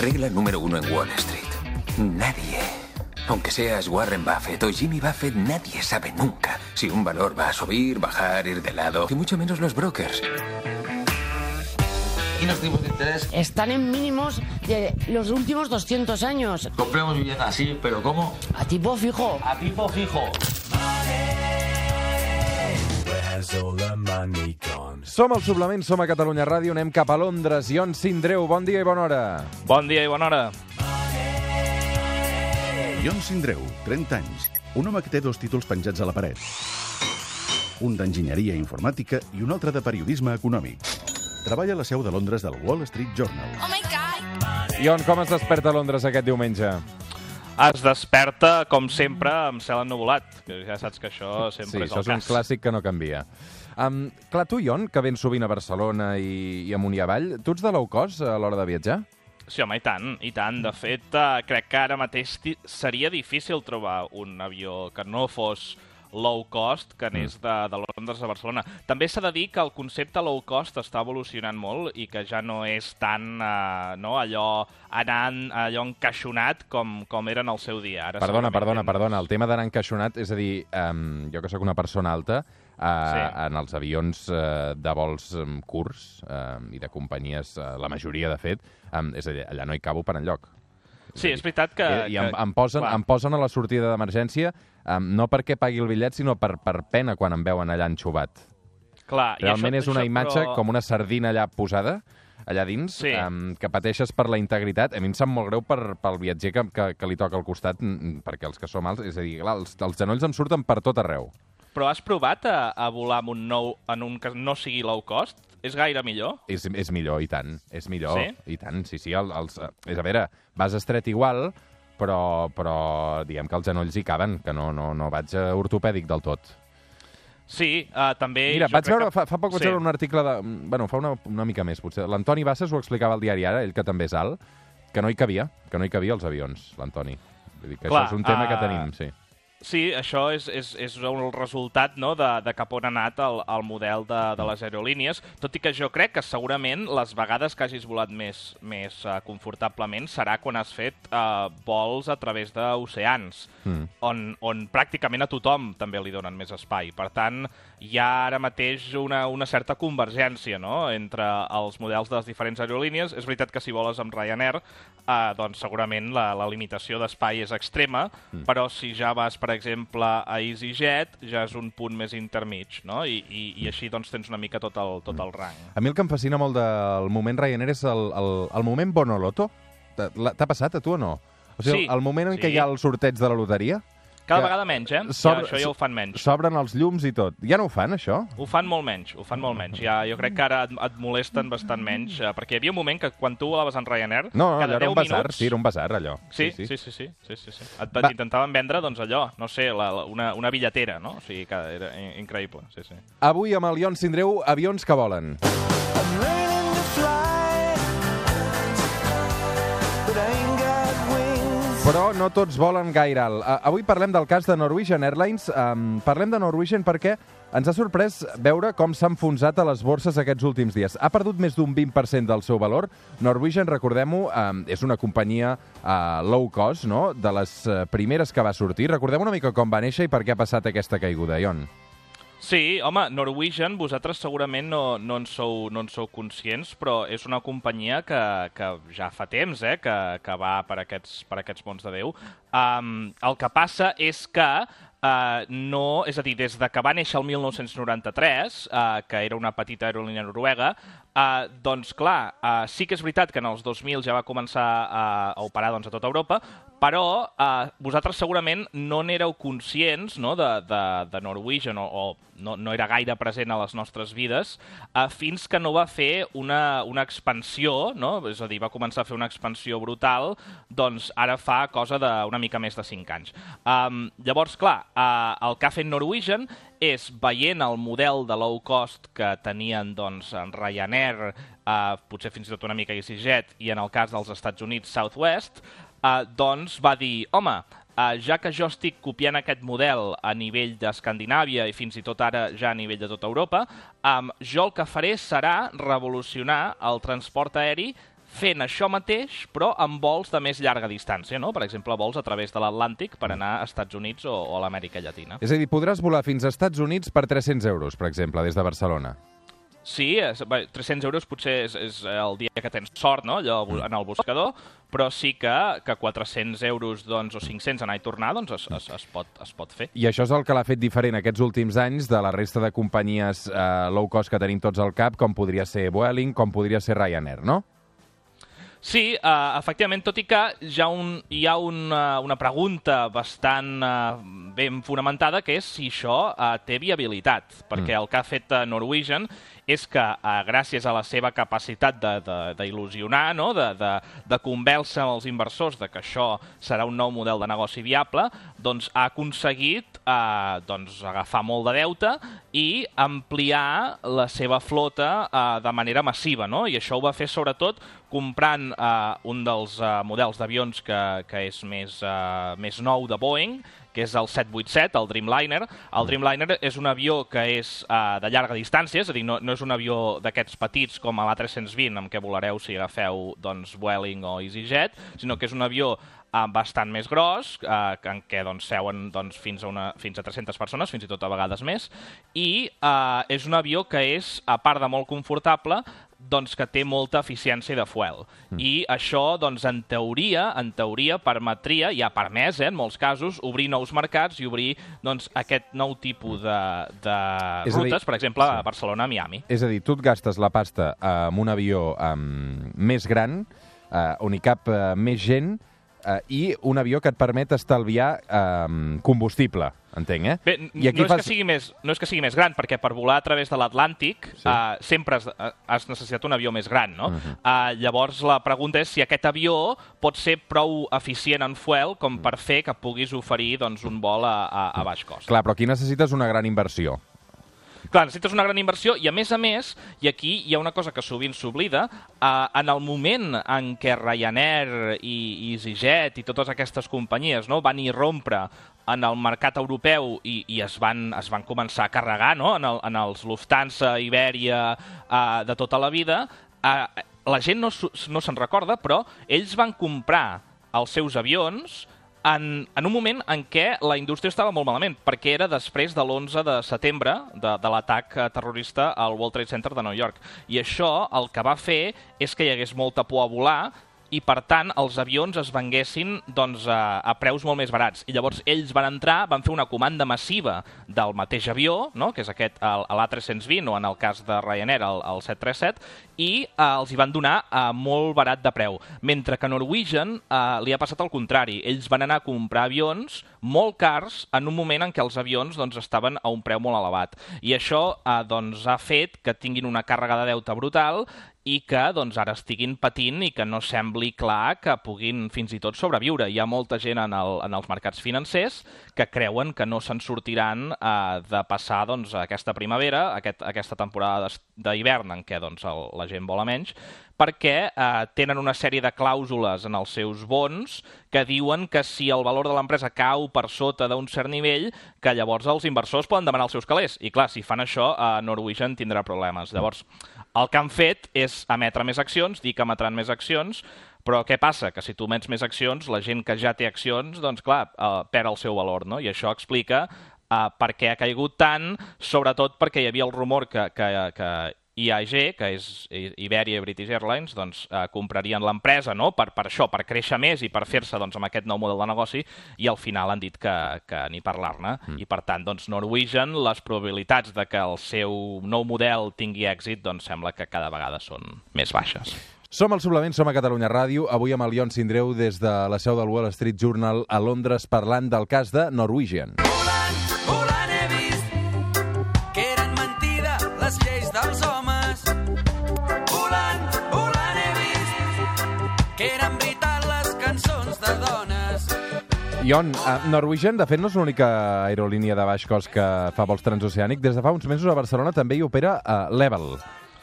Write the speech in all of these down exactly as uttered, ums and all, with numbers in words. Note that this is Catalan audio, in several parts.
Regla número uno en Wall Street. Nadie, aunque seas Warren Buffett o Jimmy Buffett, nadie sabe nunca si un valor va a subir, bajar, ir de lado, y mucho menos los brokers. ¿Y los tipos de interés? Están en mínimos de los últimos doscientos años. Compremos vivienda así, pero ¿cómo? A tipo fijo. A tipo fijo. Som al Suplement, som a Catalunya Ràdio, anem cap a Londres. Ion Sindreu, bon dia i bona hora. Bon dia i bona hora. Ion Sindreu, trenta anys, un home que té dos títols penjats a la paret. Un d'enginyeria informàtica i un altre de periodisme econòmic. Treballa a la seu de Londres del Wall Street Journal. Oh my God! Ion, com es desperta a Londres aquest diumenge? Es desperta, com sempre, amb cel ennuvolat, que ja saps que això sempre Sí, és això el és un cas. clàssic que no canvia. Um, clar, tu, Ion, que vens sovint a Barcelona i, i amunt i avall, tu ets de low cost a l'hora de viatjar? Sí, home, i tant, i tant. De fet, eh, crec que ara mateix ti- seria difícil trobar un avió que no fos low cost, que anés de, de Londres a Barcelona. També s'ha de dir que el concepte low cost està evolucionant molt i que ja no és tan eh, no, allò anant, allò encaixonat com, com era en el seu dia. Ara Perdona, segurament perdona, tens- perdona. El tema d'anar encaixonat, és a dir, um, jo que sóc una persona alta, uh, Sí. en els avions uh, de vols um, curts um, i de companyies, uh, la majoria, de fet, um, és a dir, allà no hi cabo per enlloc. Sí, és veritat que... I, i em, que- em, posen, clar. em posen a la sortida d'emergència um, no perquè pagui el bitllet, sinó per, per pena quan em veuen allà enxubat. Clar, i Realment això- és una això, imatge però- com una sardina allà posada, allà dins, Sí. um, que pateixes per la integritat. A mi em sap molt greu per, pel viatger que, que, que li toca al costat, mm, perquè els que som alts, és a dir, clar, els, els genolls em surten per tot arreu. Però has provat a, a volar amb un nou, en un que no sigui low cost? És gaire millor? És, és millor, i tant. És millor, Sí? i tant. Sí, sí, el, els, és a veure, vas estret igual, però, però diguem que els genolls hi caben, que no, no, no vaig a ortopèdic del tot. Sí, uh, també... Mira, jo vaig crec veure, que... fa, fa poc vaig sí. veure un article de... Bueno, fa una, una mica més, potser. L'Antoni Bassas ho explicava al diari Ara, ell que també és alt, que no hi cabia, que no hi cabia als avions, l'Antoni. Vull dir que Clar, això és un tema uh, que tenim, sí. Sí, això és, és, és el resultat, no?, de, de cap on ha anat el, el model de, de les aerolínies, tot i que jo crec que segurament les vegades que hagis volat més, més uh, confortablement serà quan has fet uh, vols a través d'oceans, Mm. on, on pràcticament a tothom també li donen més espai. Per tant, hi ha ara mateix una, una certa convergència, no?, entre els models de les diferents aerolínies. És veritat que si voles amb Ryanair, eh, doncs segurament la, la limitació d'espai és extrema, mm. però si ja vas, per exemple, a EasyJet, ja és un punt més intermig, no?, I, i, i així doncs tens una mica tot el, tot el rang. A mi el que em fascina molt del moment Ryanair és el, el, el moment Bonoloto. T'ha t'ha passat a tu o no? O sigui, Sí, el moment en sí. què hi ha el sorteig de la loteria, Cada que vegada menys, eh? s'obre- Ja, això ja ho fan menys. s'obren els llums i tot. Ja no ho fan, això? Ho fan molt menys, ho fan molt menys. Ja, jo crec que ara et, et molesten bastant menys, eh, perquè hi havia un moment que quan tu volaves en Ryanair, No, no, cada allò era deu un basar, minuts... sí, era un basar, allò. Sí, sí, sí, sí, sí, sí, sí, sí. Et, Va. intentaven vendre, doncs allò, no sé, la, la, una, una bitlletera, no? O sigui que era in- increïble, sí, sí. Avui amb el Ion Sindreu, avions que volen. Però no tots volen gaire alt. Uh, avui parlem del cas de Norwegian Airlines. Um, parlem de Norwegian perquè ens ha sorprès veure com s'ha enfonsat a les borses aquests últims dies. Ha perdut més d'un vint per cent del seu valor. Norwegian, recordem-ho, um, és una companyia uh, low cost, no?, de les uh, primeres que va sortir. Recordem una mica com va néixer i per què ha passat aquesta caiguda, Ion. Sí, home, Norwegian, vosaltres segurament no, no, en sou, no en sou conscients, però és una companyia que, que ja fa temps eh, que, que va per aquests, per aquests mons de Déu. Um, el que passa és que Uh, no, és a dir, des de que va néixer el mil nou-cents noranta-tres, uh, que era una petita aerolínia noruega, uh, doncs clar, uh, sí que és veritat que en els dos mil ja va començar a, a operar doncs, a tota Europa, però uh, vosaltres segurament no n'éreu conscients, no?, de, de, de Norwegian, o, o no, no era gaire present a les nostres vides, uh, fins que no va fer una, una expansió, no?, és a dir, va començar a fer una expansió brutal, doncs ara fa cosa d'una mica més de cinc anys. Um, llavors, clar, Uh, el que ha fet Norwegian és, veient el model de low cost que tenien doncs, en Ryanair, uh, potser fins i tot una mica EasyJet, i en el cas dels Estats Units, Southwest, uh, doncs va dir, home, uh, ja que jo estic copiant aquest model a nivell d'Escandinàvia i fins i tot ara ja a nivell de tota Europa, um, jo el que faré serà revolucionar el transport aeri fent això mateix, però amb vols de més llarga distància, no? Per exemple, vols a través de l'Atlàntic per anar a Estats Units o, o a l'Amèrica Llatina. És a dir, podràs volar fins als Estats Units per tres-cents euros, per exemple, des de Barcelona. Sí, és, bé, tres-cents euros potser és, és el dia que tens sort, no?, allò en el buscador, però sí que, que quatre-cents euros doncs, o cinc-cents anar i tornar doncs es, es, es, pot, es pot fer. I això és el que l'ha fet diferent aquests últims anys de la resta de companyies eh, low cost que tenim tots al cap, com podria ser Vueling, com podria ser Ryanair, no? Sí, uh, efectivament, tot i que ja un, hi ha una, una pregunta bastant uh, ben fonamentada, que és si això uh, té viabilitat, perquè mm. el que ha fet uh, Norwegian és que, uh, gràcies a la seva capacitat d'il·lusionar, no? de, de, de convèncer els inversors de que això serà un nou model de negoci viable, doncs ha aconseguit uh, doncs, agafar molt de deute i ampliar la seva flota uh, de manera massiva, no? I això ho va fer sobretot comprant uh, un dels uh, models d'avions que, que és més, uh, més nou de Boeing, que és el set vuitanta set, el Dreamliner. El Dreamliner és un avió que és uh, de llarga distància, és a dir, no, no és un avió d'aquests petits com l'A tres cents vint, amb què volareu si agafeu doncs, Vueling o EasyJet, sinó que és un avió uh, bastant més gros, uh, en què doncs, seuen doncs, fins, a una, fins a tres-centes persones, fins i tot a vegades més, i uh, és un avió que és, a part de molt confortable, doncs que té molta eficiència de fuel. Mm. I això, doncs, en teoria, en teoria permetria, i ha permès, eh, en molts casos, obrir nous mercats i obrir doncs, aquest nou tipus de, de rutes, dir, per exemple, sí. a Barcelona, a Miami. És a dir, tu et gastes la pasta amb un avió um, més gran, uh, on hi cap uh, més gent, uh, i un avió que et permet estalviar um, combustible. Entenc, eh? Bé, I aquí no, és fas... que sigui més, no és que sigui més gran, perquè per volar a través de l'Atlàntic sí. uh, sempre has, has necessitat un avió més gran, no? Uh -huh. uh, llavors la pregunta és si aquest avió pot ser prou eficient en fuel com per fer que puguis oferir doncs, un vol a, a, a baix cost. Clar, però aquí necessites una gran inversió. Clar, necessites una gran inversió i, a més a més, i aquí hi ha una cosa que sovint s'oblida, eh, en el moment en què Ryanair i, i EasyJet i totes aquestes companyies no, van irrompre en el mercat europeu i, i es, van, es van començar a carregar no, en, el, en els Lufthansa, Iberia, eh, de tota la vida, eh, la gent no, no se'n recorda, però ells van comprar els seus avions En, en un moment en què la indústria estava molt malament, perquè era després de l'onze de setembre de, de l'atac terrorista al World Trade Center de Nova York. I això el que va fer és que hi hagués molta por a volar i, per tant, els avions es venguessin doncs, a, a preus molt més barats. I llavors ells van entrar, van fer una comanda massiva del mateix avió, no? que és aquest, l'A tres cents vint, o en el cas de Ryanair, el, el set trenta set, i eh, els hi van donar a molt barat de preu. Mentre que Norwegian eh, li ha passat el contrari. Ells van anar a comprar avions molt cars en un moment en què els avions doncs, estaven a un preu molt elevat. I això eh, doncs, ha fet que tinguin una càrrega de deute brutal i que doncs, ara estiguin patint i que no sembli clar que puguin fins i tot sobreviure. Hi ha molta gent en, el, en els mercats financers que creuen que no se'n sortiran eh, de passar doncs, aquesta primavera, aquest, aquesta temporada d'hivern en què doncs, el, la gent vola menys, perquè eh, tenen una sèrie de clàusules en els seus bons que diuen que si el valor de l'empresa cau per sota d'un cert nivell, que llavors els inversors poden demanar els seus calés. I clar, si fan això, eh, Norwegian tindrà problemes. Llavors, el que han fet és emetre més accions, dir que emetran més accions, però què passa? Que si tu emets més accions, la gent que ja té accions, doncs clar, eh, perd el seu valor, no? I això explica eh, per què ha caigut tant, sobretot perquè hi havia el rumor que, que, que I A G, que és Iberia i British Airlines, doncs, eh, comprarien l'empresa no? per, per això, per créixer més i per fer-se doncs, amb aquest nou model de negoci, i al final han dit que, que ni parlar-ne. Mm. I per tant, doncs, Norwegian, les probabilitats de que el seu nou model tingui èxit, doncs sembla que cada vegada són més baixes. Som al Suplement, som a Catalunya Ràdio, avui amb el Ion Sindreu des de la seu del Wall Street Journal a Londres parlant del cas de Norwegian. Volant, volant he vist que eren mentida les lleis dels homes. Volant, volant he vist que eren veritat les cançons de dones. Ion, uh, Norwegian, de fet, no és l'única aerolínia de baix cost que fa vols transoceànic. Des de fa uns mesos a Barcelona també hi opera uh, Level.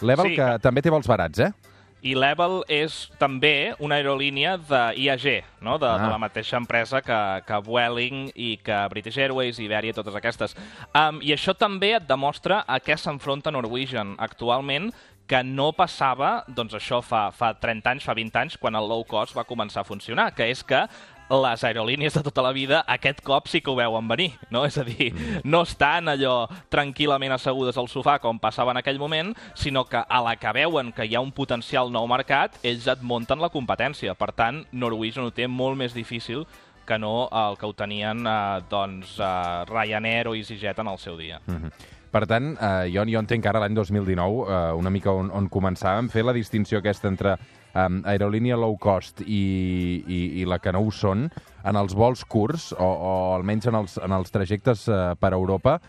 Level, sí, que, que també té vols barats, eh? I Level és també una aerolínia d'I A G, no? de, ah. de la mateixa empresa que, que Vueling i que British Airways, Iberia i totes aquestes. Um, I això també et demostra a què s'enfronta Norwegian actualment, que no passava, doncs això fa, fa trenta anys, fa vint anys, quan el low cost va començar a funcionar, que és que les aerolínies de tota la vida aquest cop sí que ho veuen venir, no? És a dir, no estan allò tranquil·lament assegudes al sofà com passava en aquell moment, sinó que a la que veuen que hi ha un potencial nou mercat, ells et munten la competència. Per tant, Norwegian ho té molt més difícil que no el que ho tenien eh, doncs, eh, Ryanair o EasyJet en el seu dia. Mm-hmm. Per tant, eh, jo, jo entenc que ara l'any dos mil dinou, eh, una mica on, on començàvem, fer la distinció aquesta entre um, aerolínia low cost i, i, i la que no ho són, en els vols curts, o, o almenys en els, en els trajectes uh, per Europa,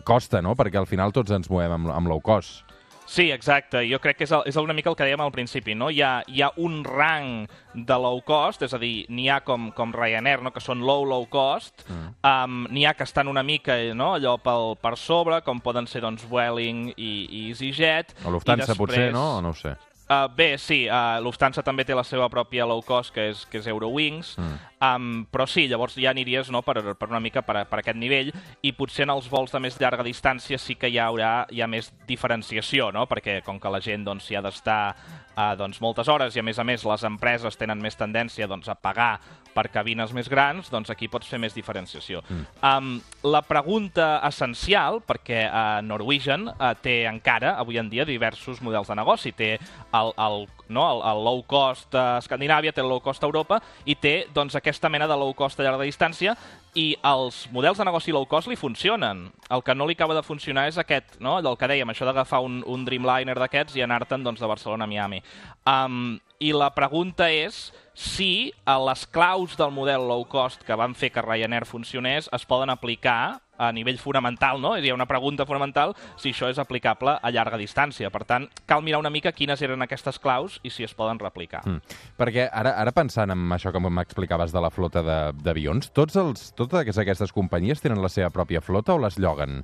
costa, no? Perquè al final tots ens movem amb, amb low cost. Sí, exacte. Jo crec que és, el, és una mica el que dèiem al principi, no? Hi ha, hi ha un rang de low cost, és a dir, n'hi ha com, com Ryanair, no? Que són low, low cost, mm. um, n'hi ha que estan una mica, no? Allò pel, per sobre, com poden ser doncs, Vueling i, i EasyJet. O Lufthansa, després... potser, no? O no ho sé. Uh, bé, sí, uh, Lufthansa també té la seva pròpia low cost, que és, que és Eurowings, mm. um, però sí, llavors ja aniries no, per, per una mica per, per aquest nivell, i potser en els vols de més llarga distància sí que hi haurà hi ha més diferenciació, no? Perquè com que la gent doncs, hi ha d'estar uh, doncs, moltes hores, i a més a més les empreses tenen més tendència doncs, a pagar per cabines més grans, doncs aquí pots fer més diferenciació. Mm. Um, la pregunta essencial, perquè uh, Norwegian uh, té encara, avui en dia, diversos models de negoci. Té el, el, no, el, el low cost a Escandinàvia, té el low cost a Europa, i té doncs, aquesta mena de low cost a llarga distància, i els models de negoci low cost li funcionen. El que no li acaba de funcionar és aquest, no? Allò que dèiem, això d'agafar un, un Dreamliner d'aquests i anar-te'n doncs, de Barcelona a Miami. Um, I la pregunta és si les claus del model low cost que van fer que Ryanair funcionés es poden aplicar a nivell fonamental, no? És a dir, una pregunta fonamental si això és aplicable a llarga distància. Per tant, cal mirar una mica quines eren aquestes claus i si es poden replicar. Mm. Perquè ara, ara pensant en això que m'explicaves de la flota d'avions, tots els, totes aquestes companyies tenen la seva pròpia flota o les lloguen?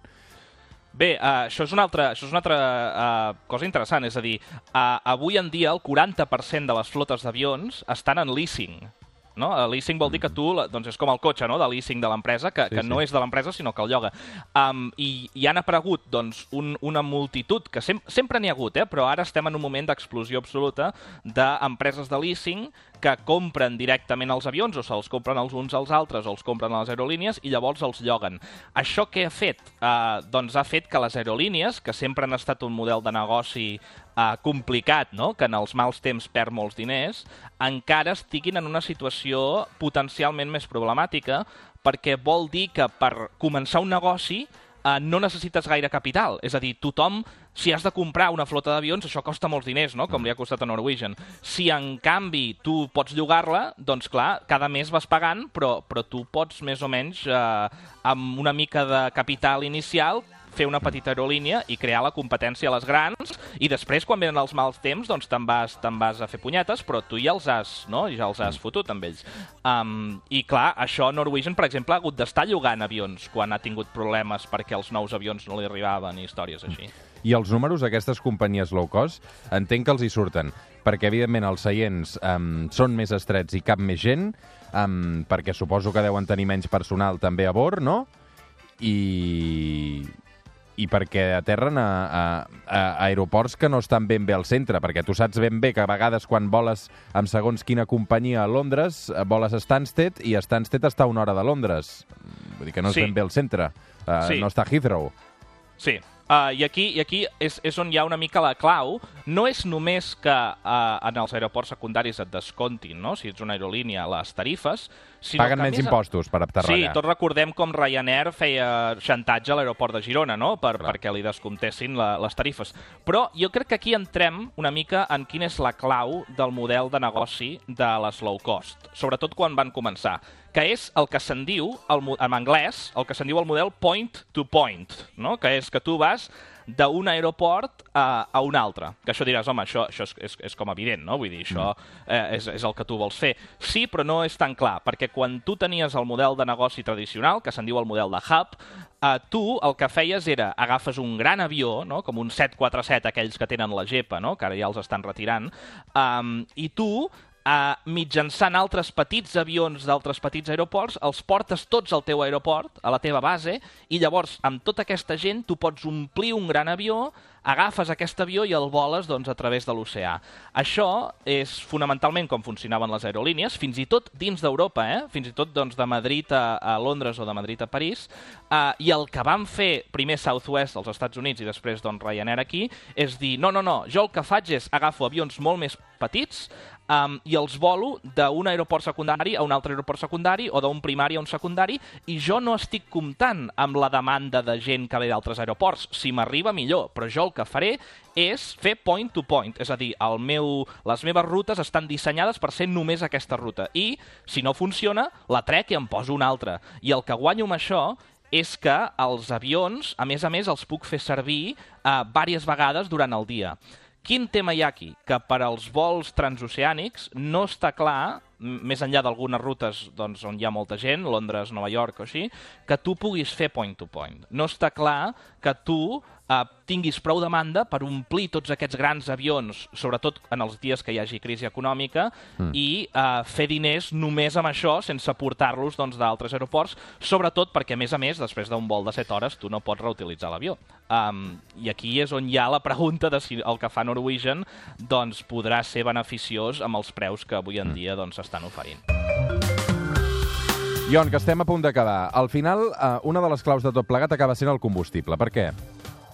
Bé, uh, això és una altra, això és una altra uh, cosa interessant, és a dir, uh, avui en dia el quaranta per cent de les flotes d'avions estan en leasing. No? El leasing vol dir que tu, doncs és com el cotxe, no? De leasing de l'empresa, que, sí, que no sí. és de l'empresa sinó que el lloga. Um, i, I han aparegut doncs, un, una multitud, que sem sempre n'hi ha hagut, eh? Però ara estem en un moment d'explosió absoluta d'empreses de leasing que compren directament els avions, o se'ls compren els uns als altres, o els compren a les aerolínies, i llavors els lloguen. Això què ha fet? Uh, doncs ha fet que les aerolínies, que sempre han estat un model de negoci uh, complicat, no? Que en els mals temps perd molts diners, encara estiguin en una situació potencialment més problemàtica, perquè vol dir que per començar un negoci Uh, no necessites gaire capital. És a dir, tothom, si has de comprar una flota d'avions, això costa molts diners, no? Com li ha costat a Norwegian. Si, en canvi, tu pots llogar-la, doncs, clar, cada mes vas pagant, però, però tu pots, més o menys, uh, amb una mica de capital inicial, fer una petita aerolínia i crear la competència a les grans, i després, quan venen els mals temps, doncs te'n vas, te'n vas a fer punyetes, però tu ja els has, no? Ja els has fotut amb ells. Um, I clar, això Norwegian, per exemple, ha hagut d'estar llogant avions quan ha tingut problemes perquè els nous avions no li arribaven i històries així. I els números d'aquestes companyies low cost entenc que els hi surten, perquè evidentment els seients um, són més estrets i cap més gent, um, perquè suposo que deuen tenir menys personal també a bord, no? I... i perquè aterren a, a, a aeroports que no estan ben bé al centre, perquè tu saps ben bé que a vegades quan voles amb segons quina companyia a Londres, voles a Stansted, i a Stansted està a una hora de Londres. Vull dir que no és sí. ben bé al centre. Uh, sí. No està a Heathrow. Sí. Uh, I aquí, i aquí és, és on hi ha una mica la clau. No és només que uh, en els aeroports secundaris et descontin, no? Si ets una aerolínia, les tarifes, sinó paguen que menys més... impostos per aterrar Sí, allà. tots recordem com Ryanair feia xantatge a l'aeroport de Girona, no? Per, perquè li descomptessin la, les tarifes. Però jo crec que aquí entrem una mica en quina és la clau del model de negoci de les low cost, sobretot quan van començar, que és el que se'n diu, el, en anglès, el que se'n diu el model point to point, no? Que és que tu vas d'un aeroport a, a un altre. Que això diràs, home, això, això és, és, és com evident, no? Vull dir, això eh, és, és el que tu vols fer. Sí, però no és tan clar, perquè quan tu tenies el model de negoci tradicional, que se'n diu el model de hub, eh, tu el que feies era, agafes un gran avió, no? Com un set quatre set, aquells que tenen la gepa, no? Que ara ja els estan retirant, um, i tu Uh, mitjançant altres petits avions d'altres petits aeroports, els portes tots al teu aeroport, a la teva base, i llavors, amb tota aquesta gent, tu pots omplir un gran avió, agafes aquest avió i el voles doncs, a través de l'oceà. Això és fonamentalment com funcionaven les aerolínies, fins i tot dins d'Europa, eh? fins i tot doncs, de Madrid a, a Londres o de Madrid a París, uh, i el que van fer primer Southwest als Estats Units i després doncs, Ryanair aquí, és dir, no, no, no, jo el que faig és agafo avions molt més petits, Um, i els volo d'un aeroport secundari a un altre aeroport secundari o d'un primari a un secundari, i jo no estic comptant amb la demanda de gent que ve d'altres aeroports. Si m'arriba, millor, però jo el que faré és fer point to point, és a dir, el meu, les meves rutes estan dissenyades per ser només aquesta ruta, i si no funciona, la trec i em poso una altra. I el que guanyo amb això és que els avions, a més a més, els puc fer servir uh, diverses vegades durant el dia. Quin tema hi ha aquí? Que per als vols transoceànics no està clar, més enllà d'algunes rutes doncs, on hi ha molta gent, Londres, Nova York o així, que tu puguis fer point to point. No està clar que tu eh, tinguis prou demanda per omplir tots aquests grans avions, sobretot en els dies que hi hagi crisi econòmica, mm. i eh, fer diners només amb això, sense portar-los doncs, d'altres aeroports, sobretot perquè, a més a més, després d'un vol de set hores, tu no pots reutilitzar l'avió. Um, I aquí és on hi ha la pregunta de si el que fa Norwegian doncs, podrà ser beneficiós amb els preus que avui en dia doncs, estan oferint. Ion, que estem a punt d'acabar. Al final, eh, una de les claus de tot plegat acaba sent el combustible. Per què?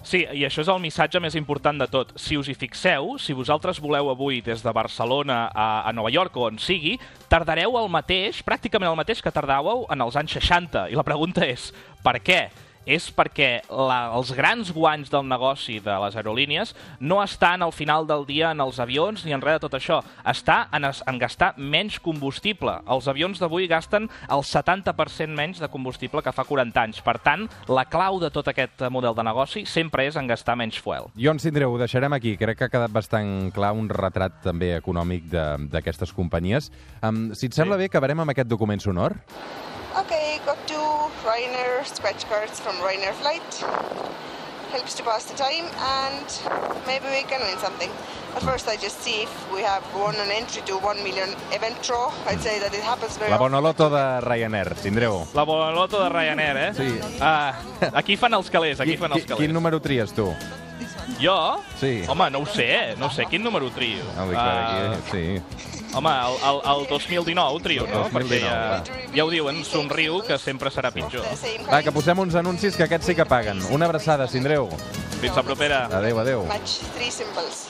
Sí, i això és el missatge més important de tot. Si us hi fixeu, si vosaltres voleu avui des de Barcelona a, a Nova York o on sigui, tardareu el mateix, pràcticament el mateix que tardàveu en els anys seixanta. I la pregunta és, per què? És perquè la, els grans guanys del negoci de les aerolínies no estan al final del dia en els avions ni en res de tot això. Està en, es, en gastar menys combustible. Els avions d'avui gasten el setanta per cent menys de combustible que fa quaranta anys. Per tant, la clau de tot aquest model de negoci sempre és en gastar menys fuel. Ion Sindreu, ho deixarem aquí. Crec que ha quedat bastant clar un retrat també econòmic d'aquestes companyies. Um, si et sembla sí. bé, acabarem amb aquest document sonor. Okay, got two Ryanair scratch cards from Ryanair flight. Helps to pass the time and maybe we can win something. But first I just see if we have won an entry to one million event draw. I'd say that it happens very La Bonoloto de Ryanair, Sindreu. La Bonoloto de Ryanair, eh? Sí. Uh, aquí fan els calés, aquí fan els calés. Quin número tries tu? Jo? Sí. Home, no ho sé, eh? No sé quin número trio. Ah, uh, aquí, sí. Home, el, el, el dos mil dinou trio, no? Perquè ja, ja ho diuen, somriu, que sempre serà pitjor. Va, que posem uns anuncis que aquests sí que paguen. Una abraçada, Sindreu. Fins la propera. Adéu, adéu. Match three symbols.